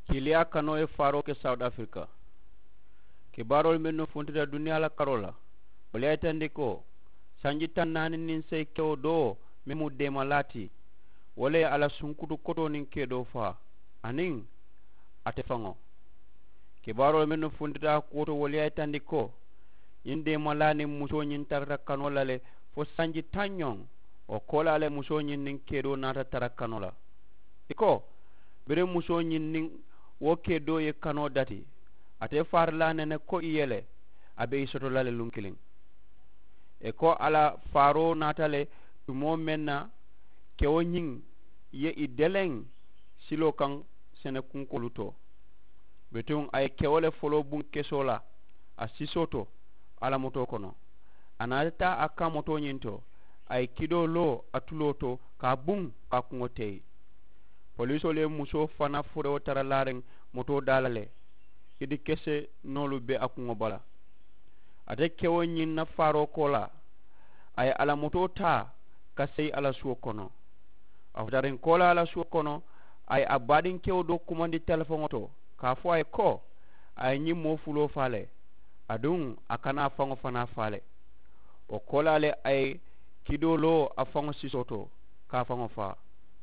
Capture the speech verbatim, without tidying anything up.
Kiiliyaa kanoo ye faaroo ke sawuti afirika. Kibaaroolu mennu funtita duniyaa la karoo la, wolu ye a yitandi ko sanji taŋ naani niŋ seyi kewo doo meŋ mu deemalaa ti, wo le ye a la sunkutu kotoo niŋ keedoo faa aniŋ ate faŋo. Kibaaroolu mennu funtita a kuwo to wolu ye a yitandi ko ñiŋ deemalaa niŋ musoo ñiŋ tarata kanoo la le fo sanji taŋ ñoŋ. Wo koolaa le musoo ñiŋ niŋ keedoo naata tara kanoo la. I ko biriŋ musoo ñiŋ niŋ wo keedoo ye kanoo dati, ate faari la a nene ko i ye le a be i soto la le luŋ kiliŋ. I ko a la faaroo naata le tumoo meŋ na kewo ñiŋ ye i deleŋ siloo kaŋ sene kunkoolu to. Bituŋ a ye kewo le foloo buŋ kesoo la a sisoo to a la motoo kono. A naata taa a kaŋ motoo ñiŋ to a ye kidoo loo a tuloo to ka a buŋ ka a kuŋo teyi. Poliisoolu ye musoo fanaa furewo tara laariŋ motoo daa la le. Kidi kese noolu be a kuŋo bala. Ate kewo ñiŋ na faaroo koolaa a ye a la motoo taa ka seyi a la suwo kono. A futariŋ koolaa a la suwo kono a ye a baadiŋ kewo doo kumandi telefoŋo to ka a fo a ye ko a ye ñiŋ moo fuloo faa le aduŋ a kana a faŋo fanaa faa le. Wo koolaa le a ye kidoo loo a faŋo sisoo to ka a faŋo faa.